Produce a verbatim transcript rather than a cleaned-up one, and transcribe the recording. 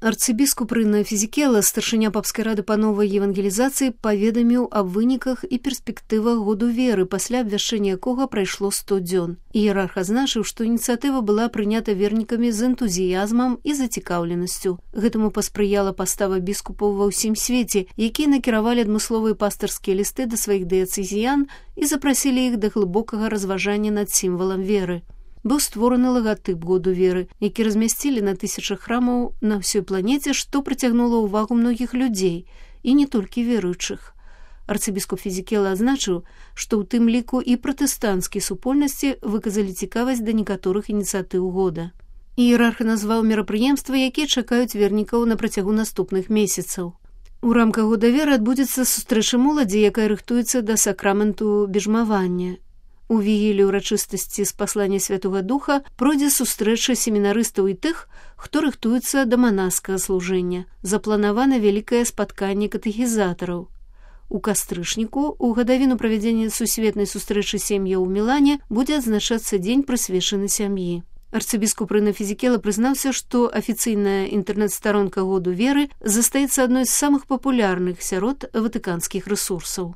Арцыбіскуп Рына Фізікела, старшыня папскай рады па новай евангелізацыі, паведаміў аб выніках і перспектывах году веры, пасля абвяшчэння якога прайшло сто дзён. Іерарх азначыў, што ініцыятыва была прынята вернікамі з энтузіязмам і зацікаўленасцю. Гэтаму паспрыяла пастава біскупаў ва ўсім свеце, якія накіравалі адмысловыя пастырскія лісты да сваіх дыяцэзіян і запрасілі іх да глыбокага разважання над сімвалам веры. Быў створаны лагатып году веры, які размясцілі на тысячах храмаў на ўсёй планеце, што прыцягнула ўвагу многіх людзей, і не толькі веруючых. Арцыбіскуп Фізікела адзначыў, што ў тым ліку і пратэстанцкія супольнасці выказалі цікавасць да некаторых ініцыятыў года. Іерарх назваў мерапрыемствы, якія чакаюць вернікаў на працягу наступных месяцаў. У рамках года веры адбудзецца сустрэча моладзі, якая рыхтуецца да сакраменту бежмавання. У вігілі ўрачыстасці з паслання Святога Духа пройдзе сустрэча семінарыстаў і тых, хто рыхтуецца да манаскага служэння. Запланавана вялікае спатканне катэхізатараў. У кастрычніку, у гадавіну правядзення сусветнай сустрэчы сем'яў у Мілане, будзе адзначацца дзень, прысвечаны сям'і. Арцыбіскуп Рына Фізікела прызнаўся, што афіцыйная інтэрнэт-старонка году веры застаецца адной з самых папулярных сярод ватыканскіх рэсурсаў.